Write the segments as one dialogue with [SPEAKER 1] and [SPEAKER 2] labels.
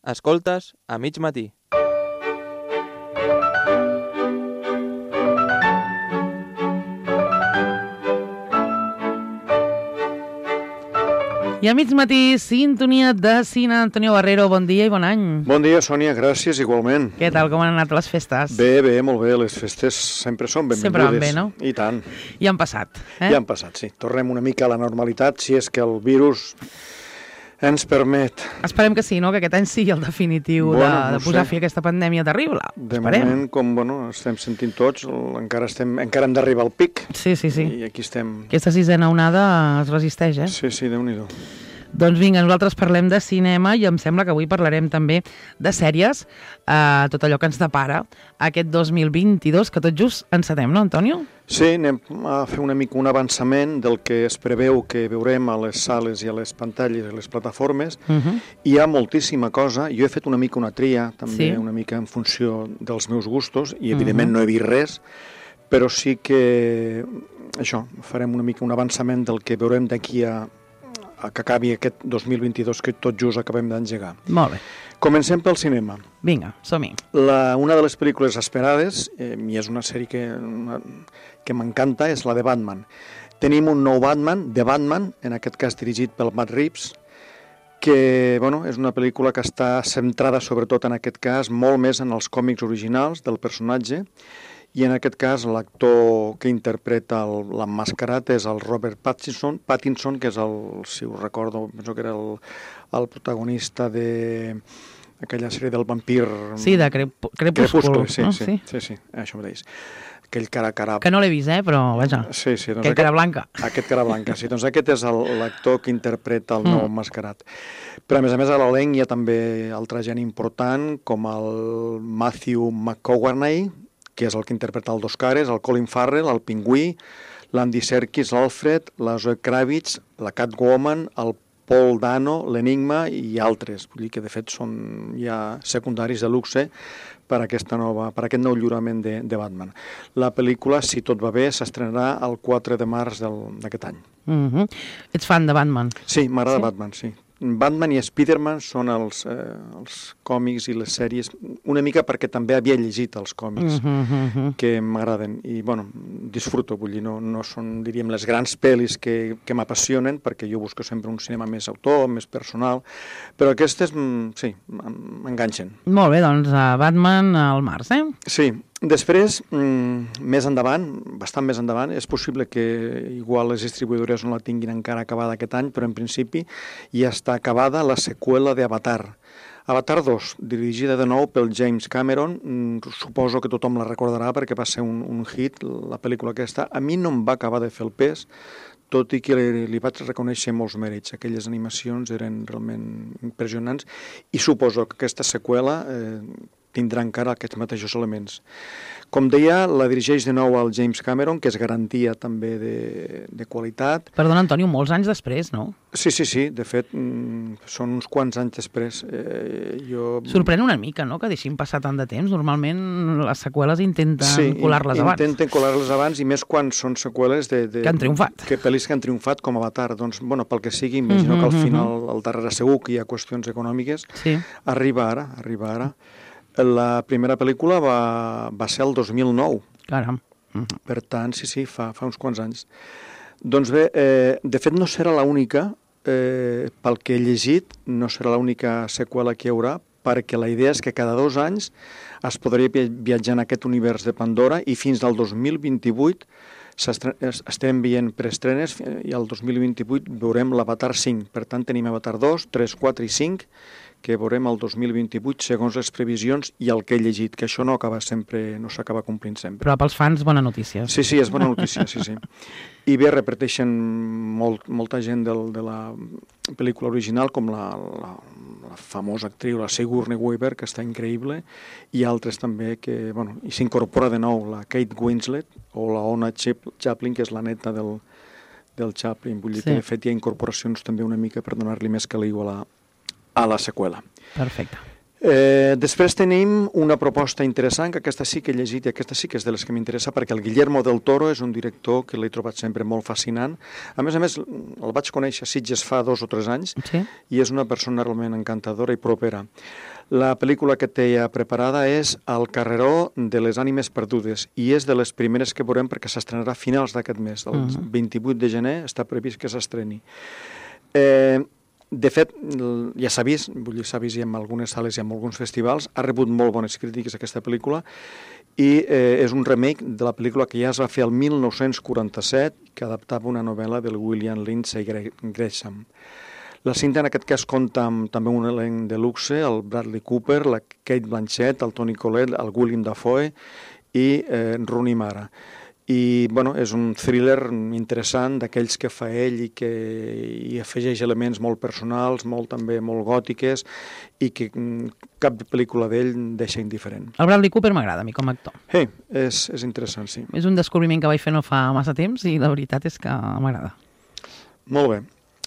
[SPEAKER 1] Escoltes a mig matí.
[SPEAKER 2] I a mig matí, sintonia de cine. Antonio Barrero, bon dia i bon any.
[SPEAKER 3] Bon dia, Sònia, gràcies, igualment.
[SPEAKER 2] Què tal, com han anat les festes?
[SPEAKER 3] Bé, molt bé, les festes sempre són benvingudes.
[SPEAKER 2] Sempre van bé, no?
[SPEAKER 3] I tant.
[SPEAKER 2] Ja han passat, eh?
[SPEAKER 3] Ja han passat, sí. Tornem una mica a la normalitat, si és que el virus ens permet.
[SPEAKER 2] Esperem que sí, no? Que aquest any sigui el definitiu de posar fi a aquesta pandèmia terrible.
[SPEAKER 3] De
[SPEAKER 2] Esperem.
[SPEAKER 3] moment, com estem sentint tots, encara hem d'arribar al pic.
[SPEAKER 2] Sí.
[SPEAKER 3] I aquí estem.
[SPEAKER 2] Aquesta sisena onada es resisteix, eh?
[SPEAKER 3] Sí, Déu-n'hi-do.
[SPEAKER 2] Doncs vinga, nosaltres parlem de cinema i em sembla que avui parlarem també de sèries, tot allò que ens depara aquest 2022, que tot just encetem, no, Antonio?
[SPEAKER 3] Sí, anem a fer una mica un avançament del que es preveu que veurem a les sales i a les pantalles i a les plataformes. Hi ha moltíssima cosa. Jo he fet una mica una tria, també, una mica en funció dels meus gustos, i evidentment no he vist res, però sí que això, farem una mica un avançament del que veurem d'aquí a que acabi aquest 2022 que tot just acabem d'engegar.
[SPEAKER 2] Molt bé.
[SPEAKER 3] Comencem pel cinema.
[SPEAKER 2] Vinga, som-hi.
[SPEAKER 3] Una de les pel·lícules esperades, i és una sèrie que m'encanta, és la de Batman. Tenim un nou Batman, The Batman, en aquest cas dirigit pel Matt Reeves, que és una pel·lícula que està centrada sobretot en aquest cas molt més en els còmics originals del personatge, i en aquest cas l'actor que interpreta l'emmascarat és el Robert Pattinson, que és si us recordo, penso que era el protagonista d'aquella sèrie del vampir...
[SPEAKER 2] Sí, de Crepúsculo.
[SPEAKER 3] Sí, això mateix. Aquell cara...
[SPEAKER 2] Que no l'he vist, però vaja,
[SPEAKER 3] sí, doncs
[SPEAKER 2] aquell cara blanca.
[SPEAKER 3] Aquest cara blanca, sí. Doncs aquest és l'actor que interpreta el nou emmascarat. Però a més a l'elenc hi ha també altra gent important, com el Matthew McConaughey, que és el que interpreta el Dos Cares, el Colin Farrell, el Pingüí, l'Andy Serkis, l'Alfred, la Zoe Kravitz, la Catwoman, el Paul Dano, l'Enigma i altres. Vull dir que, de fet, són ja secundaris de luxe per aquest nou lliurament de Batman. La pel·lícula, si tot va bé, s'estrenarà el 4 de març d'aquest any.
[SPEAKER 2] Ets fan de Batman?
[SPEAKER 3] Sí, m'agrada Batman, sí. Batman i Spider-Man són els còmics i les sèries, una mica perquè també havia llegit els còmics que m'agraden i, disfruto, vull dir, no són, diríem, les grans pel·lis que m'apassionen, perquè jo busco sempre un cinema més autor, més personal, però aquestes, sí, m'enganxen.
[SPEAKER 2] Molt bé, doncs Batman al març, eh?
[SPEAKER 3] Sí. Després, més endavant, bastant més endavant, és possible que igual les distribuïdores no la tinguin encara acabada aquest any, però en principi ja està acabada la seqüela d'Avatar. Avatar 2, dirigida de nou pel James Cameron, suposo que tothom la recordarà perquè va ser un hit, la pel·lícula aquesta. A mi no em va acabar de fer el pes, tot i que li vaig reconèixer molts mèrits. Aquelles animacions eren realment impressionants i suposo que aquesta seqüela tindrà encara aquests mateixos elements. Com deia, la dirigeix de nou el James Cameron, que és garantia també de qualitat.
[SPEAKER 2] Perdona, Antonio, molts anys després, no?
[SPEAKER 3] Sí, de fet, són uns quants anys després.
[SPEAKER 2] Sorprèn una mica, no?, que deixin passar tant de temps. Normalment les seqüeles intenten colar-les abans.
[SPEAKER 3] Sí, intenten colar-les abans, i més quan són seqüeles
[SPEAKER 2] que han triomfat.
[SPEAKER 3] Pel·lis que han triomfat, com Avatar. Doncs, pel que sigui, imagino que al final, al darrere segur que hi ha qüestions econòmiques. Arriba ara. La primera pel·lícula va ser el 2009.
[SPEAKER 2] Caram.
[SPEAKER 3] Per tant, sí, fa uns quants anys. Doncs bé, de fet no serà l'única, pel que he llegit, no serà l'única seqüela que hi haurà, perquè la idea és que cada 2 anys es podria viatjar en aquest univers de Pandora i fins al 2028 estem veient preestrenes i al 2028 veurem l'Avatar 5. Per tant, tenim Avatar 2, 3, 4 i 5, que veurem el 2028 segons les previsions i el que he llegit, que això no s'acaba complint sempre.
[SPEAKER 2] Però pels fans, bona notícia.
[SPEAKER 3] Sí, és bona notícia, sí. I bé, repeteixen molta gent de la pel·lícula original, com la famosa actriu, la Sigourney Weaver, que està increïble, i altres també que, i s'incorpora de nou la Kate Winslet o la Ona Chaplin, que és la neta del Chaplin. Vull dir que, de fet, hi ha incorporacions també una mica per donar-li més caliu a la seqüela.
[SPEAKER 2] Perfecte.
[SPEAKER 3] Després tenim una proposta interessant, que aquesta sí que he llegit i aquesta sí que és de les que m'interessa, perquè el Guillermo del Toro és un director que l'he trobat sempre molt fascinant. A més, el vaig conèixer a Sitges fa 2 o 3 anys i és una persona realment encantadora i propera. La pel·lícula que té ja preparada és El carreró de les ànimes perdudes i és de les primeres que veurem perquè s'estrenarà a finals d'aquest mes. El 28 de gener està previst que s'estreni. De fet, ja s'ha vist, vull dir, s'ha vist en algunes sales i en alguns festivals, ha rebut molt bones crítiques aquesta pel·lícula i és un remake de la pel·lícula que ja es va fer el 1947 que adaptava una novel·la del William Lindsay Gresham. La cinta en aquest cas compta amb també un elenc de luxe, el Bradley Cooper, la Kate Blanchett, el Toni Collette, el Willem Dafoe i Rooney Mara. I bueno, és un thriller interessant d'aquells que fa ell i que hi afegeix elements molt personals, també molt gòtiques i que cap pel·lícula d'ell deixa indiferent.
[SPEAKER 2] El Bradley Cooper m'agrada a mi com a actor.
[SPEAKER 3] És interessant, sí.
[SPEAKER 2] És un descobriment que vaig fer no fa massa temps i la veritat és que m'agrada.
[SPEAKER 3] Molt bé.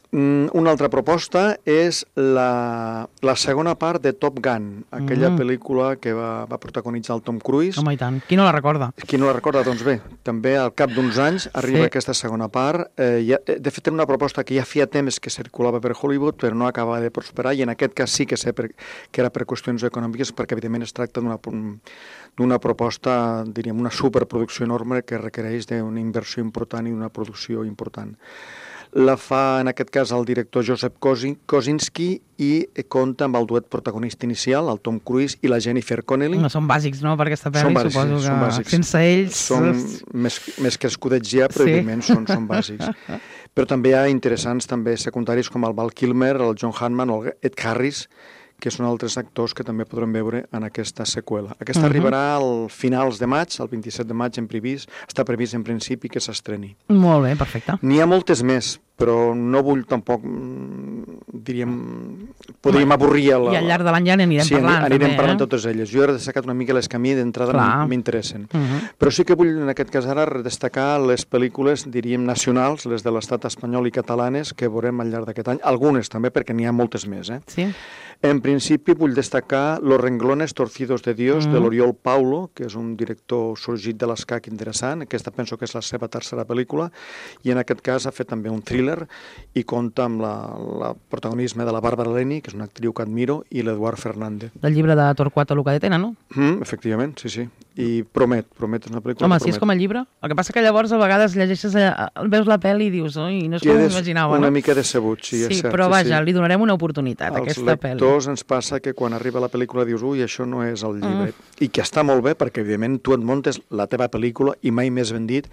[SPEAKER 3] Una altra proposta és la segona part de Top Gun, aquella pel·lícula que va protagonitzar el Tom Cruise.
[SPEAKER 2] Home, i tant. Qui no la recorda?
[SPEAKER 3] Qui no la recorda? Doncs bé, també al cap d'uns anys arriba aquesta segona part. De fet, era una proposta que ja feia temps que circulava per Hollywood, però no acabava de prosperar, i en aquest cas sí que sé que era per qüestions econòmiques, perquè evidentment es tracta d'una proposta, diríem, una superproducció enorme que requereix d'una inversió important i una producció important. La fa, en aquest cas, el director Joseph Kosinski i compta amb el duet protagonista inicial, el Tom Cruise i la Jennifer Connelly.
[SPEAKER 2] No, són bàsics, no?, per aquesta pel·li, suposo que sense ells...
[SPEAKER 3] Són més que escudets ja, però evidentment són bàsics. Però també hi ha interessants també secundaris com el Val Kilmer, el John Hammond o Ed Harris, que són altres actors que també podrem veure en aquesta seqüela. Aquesta arribarà al finals de maig, el 27 de maig està previst en principi que s'estreni.
[SPEAKER 2] Molt bé, perfecte.
[SPEAKER 3] N'hi ha moltes més, però no vull tampoc, diríem, podríem avorrir...
[SPEAKER 2] I al llarg de l'any ja n'anirem parlant.
[SPEAKER 3] Sí, anirem parlant totes elles. Jo he destacat una mica les que a mi d'entrada m'interessen. Però sí que vull, en aquest cas ara, destacar les pel·lícules, diríem, nacionals, les de l'estat espanyol i catalanes, que veurem al llarg d'aquest any. Algunes també, perquè n'hi ha moltes més.
[SPEAKER 2] Sí.
[SPEAKER 3] En principi vull destacar Los renglones torcidos de Dios, de l'Oriol Paulo, que és un director sorgit de l'escac interessant. Aquesta penso que és la seva tercera pel·lícula, i en aquest cas ha fet també un thriller i compta amb el protagonisme de la Bàrbara Leni, que és una actriu que admiro, i l'Eduard Fernández.
[SPEAKER 2] Del llibre de Torquato Luca de Tena, no?
[SPEAKER 3] Efectivament, sí. I Promet és una pel·lícula.
[SPEAKER 2] Home, si és com el llibre. El que passa que llavors a vegades llegeixes, veus la pel·li i dius, oi, no és com m'imaginava, no?
[SPEAKER 3] Una mica decebut, sí, és cert.
[SPEAKER 2] Però vaja, li donarem una oportunitat a aquesta pel·li.
[SPEAKER 3] Als lectors ens passa que quan arriba la pel·lícula dius, ui, això no és el llibre. I que està molt bé, perquè evidentment tu et muntes la teva pel·lícula, i mai més ben dit,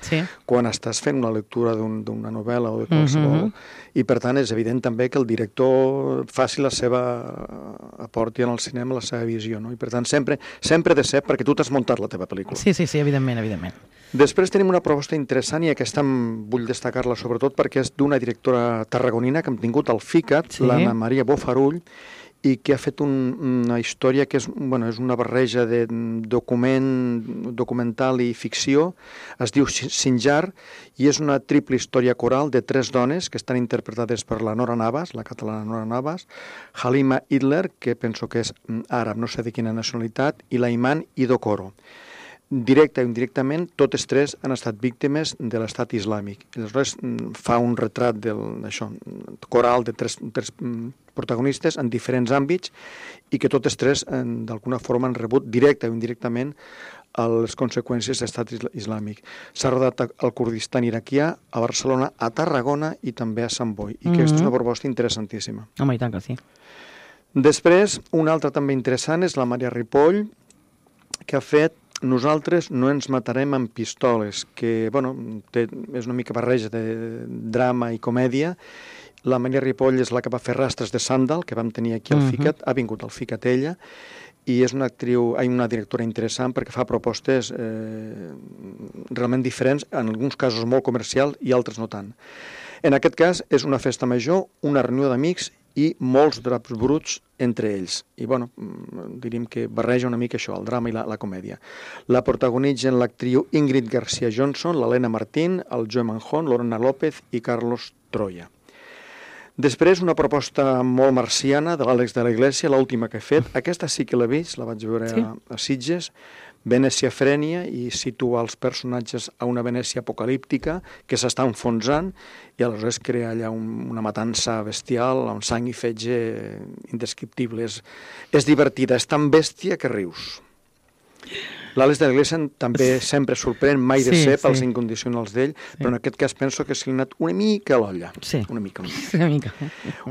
[SPEAKER 3] quan estàs fent una lectura d'una novel·la o de qualsevol. I per tant és evident també que el director faci aporti en el cinema la seva visió, no? I per tant sempre de ser, perquè tu t'has muntat la teva pel·lícula.
[SPEAKER 2] Sí, evidentment.
[SPEAKER 3] Després tenim una proposta interessant, i aquesta vull destacar-la sobretot perquè és d'una directora tarragonina que hem tingut al FICAT, l'Anna Maria Bofarull, i que ha fet una història que és una barreja de documental i ficció. Es diu Sinjar, i és una triple història coral de 3 dones que estan interpretades per la Nora Navas, la catalana Nora Navas, Halima Idler, que penso que és àrab, no sé de quina nacionalitat, i la Iman Idokoro. Directe o indirectament, totes 3 han estat víctimes de l'estat islàmic. Aleshores fa un retrat coral de 3 protagonistes en diferents àmbits, i que totes 3 d'alguna forma han rebut directe o indirectament les conseqüències de l'estat islàmic. S'ha rodat al Kurdistan iraquià, a Barcelona, a Tarragona i també a Sant Boi, i aquesta és una proposta interessantíssima.
[SPEAKER 2] Home, i tant que sí.
[SPEAKER 3] Després, una altra també interessant és la Maria Ripoll, que ha fet Nosaltres no ens matarem amb pistoles, que és una mica barreja de drama i comèdia. La Maria Ripoll és la que va fer Rastres de Sàndal, que vam tenir aquí al FICAT, ha vingut al FICAT ella, i és una directora interessant perquè fa propostes realment diferents, en alguns casos molt comercials i altres no tant. En aquest cas és una festa major, una reunió d'amics i molts draps bruts entre ells. I diríem que barreja una mica això, el drama i la comèdia. La protagonitzen l'actriu Ingrid García Johnson, l'Helena Martín, el Joe Manjón, Lorena López i Carlos Troya. Després, una proposta molt marciana de l'Àlex de la Iglesia, l'última que he fet. Aquesta sí que l'he vist, la vaig veure a Sitges. Venècia frènia i situa els personatges a una Venècia apocalíptica que s'està enfonsant i aleshores crea allà una matança bestial amb sang i fetge indescriptible. És divertida, és tan bèstia que rius. L'Àlex de la Iglesia també sempre sorprèn, mai de ser pels incondicionals d'ell, però en aquest cas penso que s'ha anat una mica a l'olla.
[SPEAKER 2] Sí.
[SPEAKER 3] Una mica.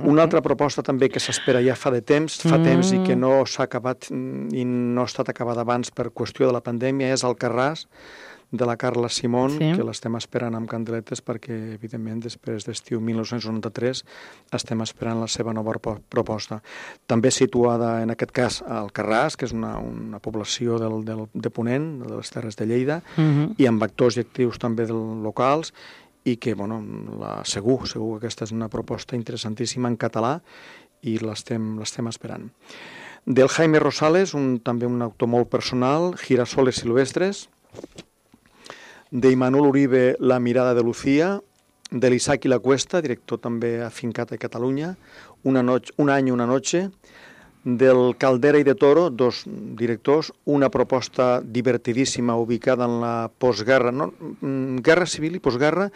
[SPEAKER 2] Una
[SPEAKER 3] altra proposta també que s'espera ja fa temps i que no s'ha acabat i no ha estat acabada abans per qüestió de la pandèmia és Alcarràs, de la Carla Simón, que l'estem esperant amb candeletes perquè, evidentment, després d'estiu 1993 estem esperant la seva nova proposta. També situada, en aquest cas, a Alcarràs, que és una població de Ponent, de les Terres de Lleida, i amb actors i actrius també locals, i que, bueno, segur que aquesta és una proposta interessantíssima en català i l'estem esperant. Del Jaime Rosales, també un autor molt personal, Girasoles silvestres, de Imanol Uribe, La mirada de Lucía, de l'Isaac i la Cuesta, director també afincat a Catalunya, Un any, una noche, del Caldera i de Toro, dos directors, una proposta divertidíssima ubicada en la postguerra, guerra civil i postguerra,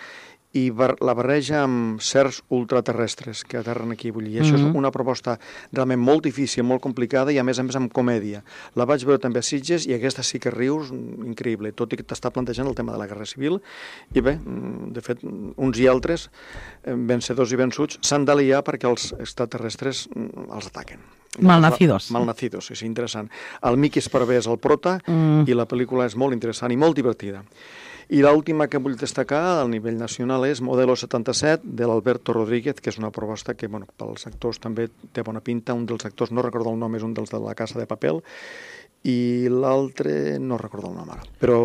[SPEAKER 3] i la barreja amb certs ultraterrestres que aterren aquí. I això és una proposta realment molt difícil, molt complicada i a més amb comèdia. La vaig veure també a Sitges i aquesta sí que rius, increïble, tot i que t'està plantejant el tema de la guerra civil. I bé, de fet, uns i altres, vencedors i vençuts, s'han d'aliar perquè els extraterrestres els ataquen.
[SPEAKER 2] Malnacidos.
[SPEAKER 3] Malnacidos, és interessant. El Miqui Esparvé és el prota i la pel·lícula és molt interessant i molt divertida. I l'última que vull destacar al nivell nacional és Modelo 77, de l'Alberto Rodríguez, que és una proposta que, bueno, pels actors també té bona pinta. Un dels actors, no recordo el nom, és un dels de La Casa de Papel, i l'altre no recordo el nom ara, però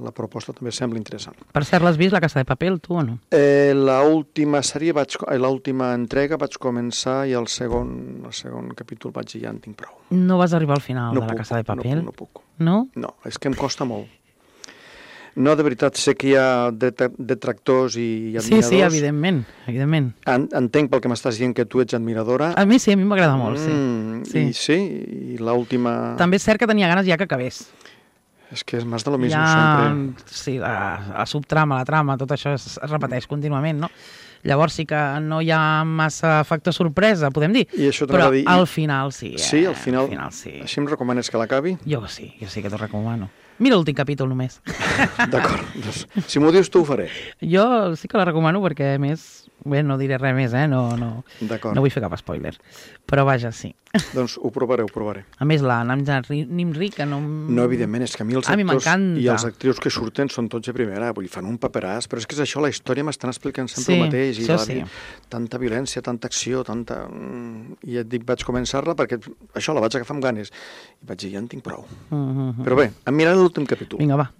[SPEAKER 3] la proposta també sembla interessant.
[SPEAKER 2] Per cert, l'has vist, La Casa de Papel, tu o no?
[SPEAKER 3] L'última sèrie, l'última entrega vaig començar i el segon capítol vaig dir ja en tinc prou.
[SPEAKER 2] No vas arribar al final de La Casa de Papel?
[SPEAKER 3] No puc.
[SPEAKER 2] No?
[SPEAKER 3] No, és que em costa molt. No, de veritat, sé que hi ha detractors i admiradors.
[SPEAKER 2] Sí, evidentment.
[SPEAKER 3] Entenc pel que m'estàs dient que tu ets admiradora.
[SPEAKER 2] A mi sí, a mi m'agrada molt, sí.
[SPEAKER 3] I l'última...
[SPEAKER 2] També és cert que tenia ganes ja que acabés.
[SPEAKER 3] És que és més de lo mismo sempre.
[SPEAKER 2] Sí, la subtrama, la trama, tot això es repeteix contínuament, no? Llavors sí que no hi ha massa factor sorpresa, podem dir, però al final sí.
[SPEAKER 3] Sí, al final sí. Així em recomanes que l'acabi?
[SPEAKER 2] Jo sí que t'ho recomano. Mira l'últim capítol només.
[SPEAKER 3] D'acord, doncs, si m'ho dius tu ho faré.
[SPEAKER 2] Jo sí que la recomano perquè, a més, bé, no diré res més, no vull fer cap spoiler. Però vaja, sí.
[SPEAKER 3] Doncs ho provaré.
[SPEAKER 2] A més, la Namja Nimri, que no...
[SPEAKER 3] No, evidentment, és que a mi els actors i els actrius que surten són tots de primera, vull dir, fan un paperàs, però és que és això, la història m'estan explicant sempre el mateix, i tanta violència, tanta acció, I et dic, vaig començar-la perquè això la vaig agafar amb ganes, i vaig dir, ja en tinc prou. Però bé, em miraré l'últim capítol.
[SPEAKER 2] Vinga, va.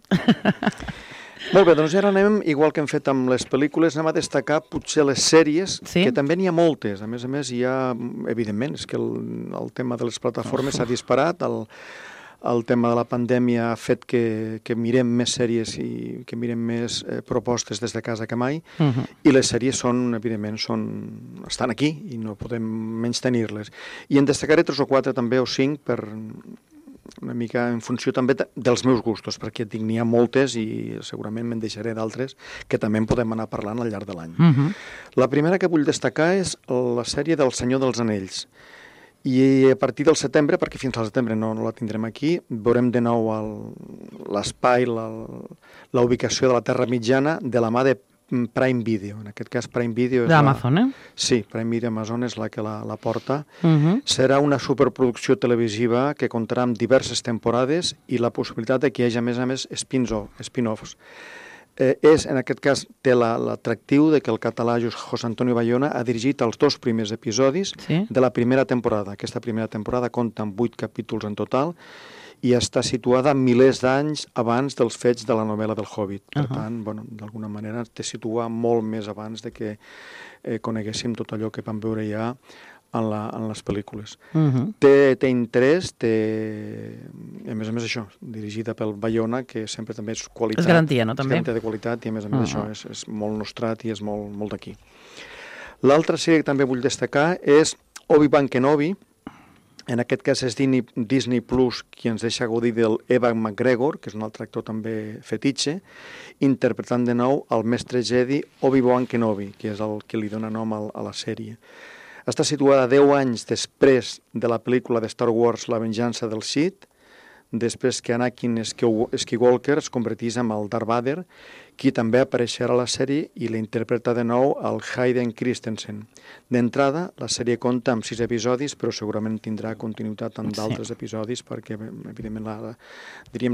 [SPEAKER 3] Molt bé, doncs ara anem, igual que hem fet amb les pel·lícules, anem a destacar potser les sèries, que també n'hi ha moltes. A més, hi ha, evidentment, és que el tema de les plataformes s'ha disparat, el tema de la pandèmia ha fet que mirem més sèries i que mirem més propostes des de casa que mai, i les sèries evidentment, estan aquí i no podem menystenir-les. I en destacaré 3 o 4 també, o 5, per una mica en funció també dels meus gustos, perquè et dic, n'hi ha moltes i segurament me'n deixaré d'altres que també en podem anar parlant al llarg de l'any. La primera que vull destacar és la sèrie del Senyor dels Anells. I a partir del setembre, perquè fins al setembre no la tindrem aquí, veurem de nou l'espai, la ubicació de la Terra Mitjana de la mà de Prime Video. En aquest cas, Prime Video és
[SPEAKER 2] d'Amazon,
[SPEAKER 3] Sí, Prime Video Amazon és la que la porta. Serà una superproducció televisiva que comptarà amb diverses temporades i la possibilitat de que hi hagi, a més, spin-offs. En aquest cas, té l'atractiu de que el català José Antonio Bayona ha dirigit els 2 primers episodis de la primera temporada. Aquesta primera temporada compta amb 8 capítols en total i està situada milers d'anys abans dels fets de la novel·la del Hobbit. Per tant, d'alguna manera te situa molt més abans de que coneguéssim tot allò que vam veure ja en les pel·lícules. Té interès, a més això, dirigida pel Bayona, que sempre també és qualitat.
[SPEAKER 2] És garantia, no? També.
[SPEAKER 3] És garantia de qualitat i a més això és molt nostrat i és molt d'aquí. L'altra sèrie que també vull destacar és Obi-Wan Kenobi, En aquest cas és Disney Plus qui ens deixa gaudir del Ewan McGregor, que és un altre actor també fetitxe, interpretant de nou el mestre Jedi Obi-Wan Kenobi, que és el que li dona nom a la sèrie. Està situada 10 anys després de la pel·lícula de Star Wars La venjança del Sith, després que Anakin Skywalker es convertís en el Darth Vader, qui també apareixerà a la sèrie i l'interpreta de nou el Hayden Christensen. D'entrada, la sèrie compta amb 6 episodis, però segurament tindrà continuïtat amb d'altres episodis, perquè, evidentment,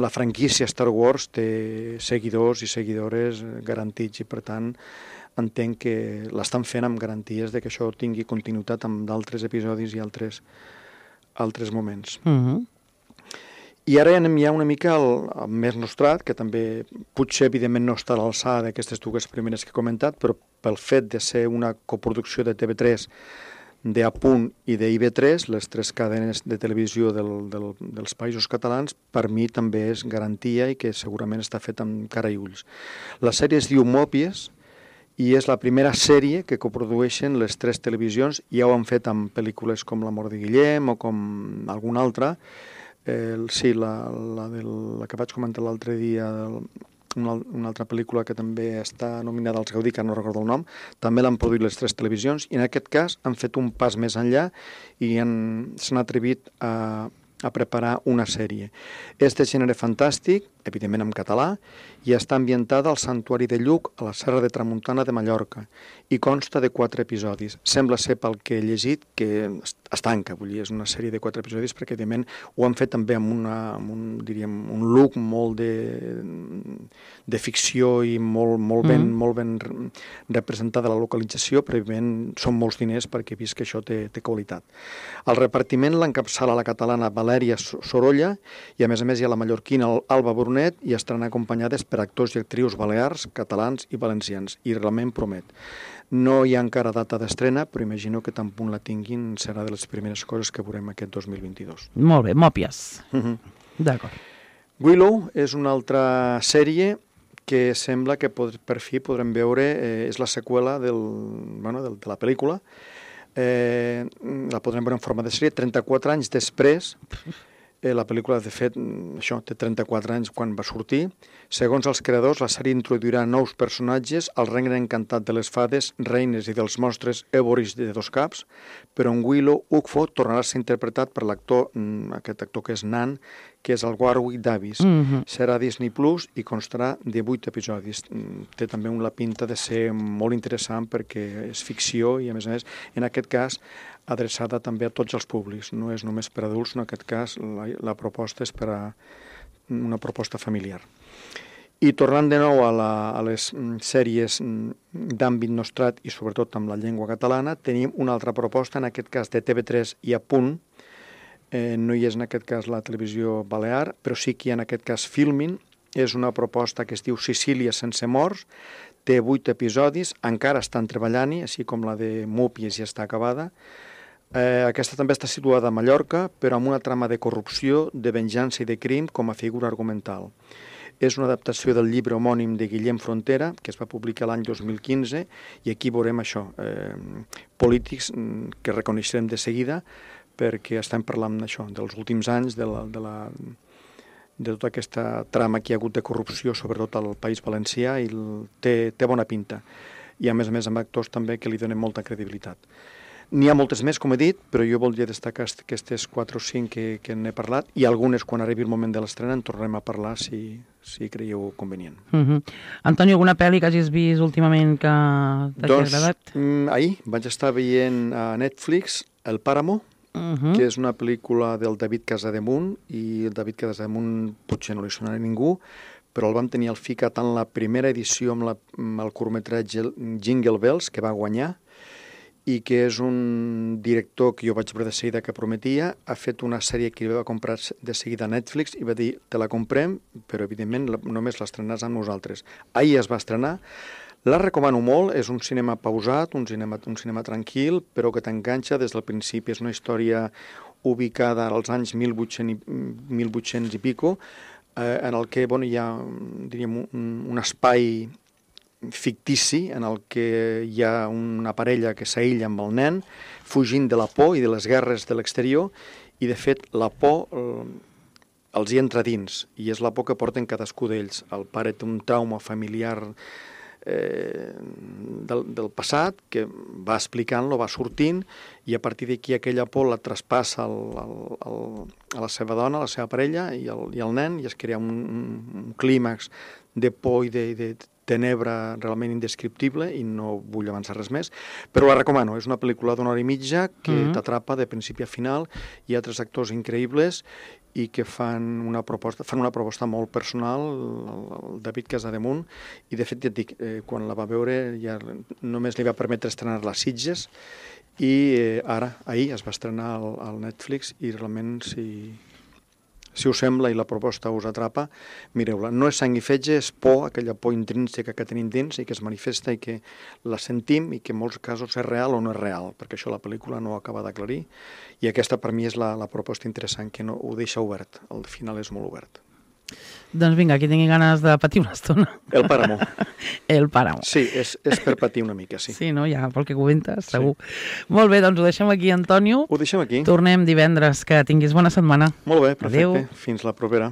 [SPEAKER 3] la franquícia Star Wars té seguidors i seguidores garantits i, per tant, entenc que l'estan fent amb garanties de que això tingui continuïtat amb d'altres episodis i altres moments. I ara anem ja una mica al més nostrat, que també potser evidentment no està a l'alçada d'aquestes dues primeres que he comentat, però pel fet de ser una coproducció de TV3, d'Apunt i d'IV3, les 3 cadenes de televisió dels països catalans, per mi també és garantia i que segurament està fet amb cara i ulls. La sèrie es diu Mòpies i és la primera sèrie que coprodueixen les 3 televisions. Ja ho han fet amb pel·lícules com La mort de Guillem o com alguna altra. Sí, la que vaig comentar l'altre dia, una altra pel·lícula que també està nominada als Gaudí, que no recordo el nom, també l'han produït les 3 televisions, i en aquest cas han fet un pas més enllà i s'han atrevit a preparar una sèrie. És de gènere fantàstic, evidentment en català, i està ambientada al Santuari de Lluc, a la Serra de Tramuntana de Mallorca, i consta de 4 episodis. Sembla ser, pel que he llegit, que es tanca, vull dir, és una sèrie de 4 episodis, perquè, evidentment, ho han fet també amb un look molt de ficció i molt ben representada la localització, però, evidentment, són molts diners perquè he vist que això té qualitat. El repartiment l'encapçala la catalana Valèria Sorolla, i, a més, hi ha la mallorquina Alba Brunet, i estaran acompanyades per actors i actrius balears, catalans i valencians, i realment promet. No hi ha encara data d'estrena, però imagino que tan punt la tinguin serà de les primeres coses que veurem aquest 2022.
[SPEAKER 2] Molt bé, Mòpies. D'acord.
[SPEAKER 3] Willow és una altra sèrie que sembla que per fi podrem veure, és la seqüela de la pel·lícula. La podrem veure en forma de sèrie 34 anys després. La pel·lícula, de fet, això té 34 anys quan va sortir. Segons els creadors, la sèrie introduirà nous personatges al regne encantat de les fades, reines i dels monstres èboris de 2 caps, però en Willow, Ugfo tornarà a ser interpretat per aquest actor que és nan, que és el Warwick Davis. Serà Disney Plus i constarà de 8 episodis. Té també la pinta de ser molt interessant perquè és ficció i, a més, en aquest cas, adreçada també a tots els públics. No és només per adults, en aquest cas la proposta és per a una proposta familiar. I tornant de nou a les sèries d'àmbit nostrat i sobretot amb la llengua catalana, tenim una altra proposta, en aquest cas de TV3 i Apunt. No hi és en aquest cas la televisió balear, però sí que hi ha en aquest cas Filmin. És una proposta que es diu Sicília sense morts, té 8 episodis, encara estan treballant-hi, així com la de Mòpies ja està acabada. Aquesta també està situada a Mallorca, però amb una trama de corrupció, de venjança i de crim com a figura argumental. És una adaptació del llibre homònim de Guillem Frontera, que es va publicar l'any 2015, i aquí veurem això, polítics que reconeixerem de seguida, perquè estem parlant d'això, dels últims anys, de tota aquesta trama que hi ha hagut de corrupció, sobretot al País Valencià, i té bona pinta. I, a més, amb actors també que li donen molta credibilitat. N'hi ha moltes més, com he dit, però jo voldria destacar aquestes 4 o 5 que n'he parlat, i algunes, quan arribi el moment de l'estrena, en tornarem a parlar si creieu convenient.
[SPEAKER 2] Antonio, alguna pel·li que hagis vist últimament que t'hagi agradat?
[SPEAKER 3] Ahir vaig estar veient a Netflix El Páramo, que és una pel·lícula del David Casademunt, i el David Casademunt potser no li sonarà a ningú, però el vam tenir al FICA tant la primera edició amb el curtmetratge Jingle Bells, que va guanyar, i que és un director que jo vaig veure de seguida que prometia. Ha fet una sèrie que va comprar de seguida a Netflix i va dir, te la comprem, però evidentment només l'estrenaràs amb nosaltres. Ahir es va estrenar, la recomano molt, és un cinema pausat, un cinema tranquil, però que t'enganxa des del principi. És una història ubicada als anys 1800 i pico, en el que hi ha, diríem, un espai fictici en el que hi ha una parella que s'aïlla amb el nen, fugint de la por i de les guerres de l'exterior, i de fet la por els hi entra dins, i és la por que porten cadascú d'ells. El pare té un trauma familiar del passat, que va explicant-lo, va sortint, i a partir d'aquí aquella por la traspassa a la seva dona, a la seva parella i al nen, i es crea un clímax de por i de tenebra realment indescriptible, i no vull avançar res més, però la recomano. És una pel·lícula d'una hora i mitja que t'atrapa de principi a final. Hi ha 3 actors increïbles i que fan una proposta molt personal, el David Casademunt, i de fet ja et dic, quan la va veure ja només li va permetre estrenar-la a Sitges, i ahir es va estrenar al Netflix, i realment si us sembla i la proposta us atrapa, mireu-la. No és sang i fetge, és por, aquella por intrínseca que tenim dins i que es manifesta i que la sentim i que en molts casos és real o no és real, perquè això la pel·lícula no ho acaba d'aclarir, i aquesta per mi és la proposta interessant, que no ho deixa obert. El final és molt obert.
[SPEAKER 2] Doncs vinga, qui tingui ganes de patir una estona.
[SPEAKER 3] El Páramo.
[SPEAKER 2] El Páramo.
[SPEAKER 3] Sí, és per patir una mica, sí.
[SPEAKER 2] Sí, no? Ja, pel que comentes, segur. Molt bé, doncs ho deixem aquí, Antonio.
[SPEAKER 3] Ho deixem aquí.
[SPEAKER 2] Tornem divendres. Que tinguis bona setmana.
[SPEAKER 3] Molt bé, perfecte.
[SPEAKER 2] Adéu.
[SPEAKER 3] Fins la propera.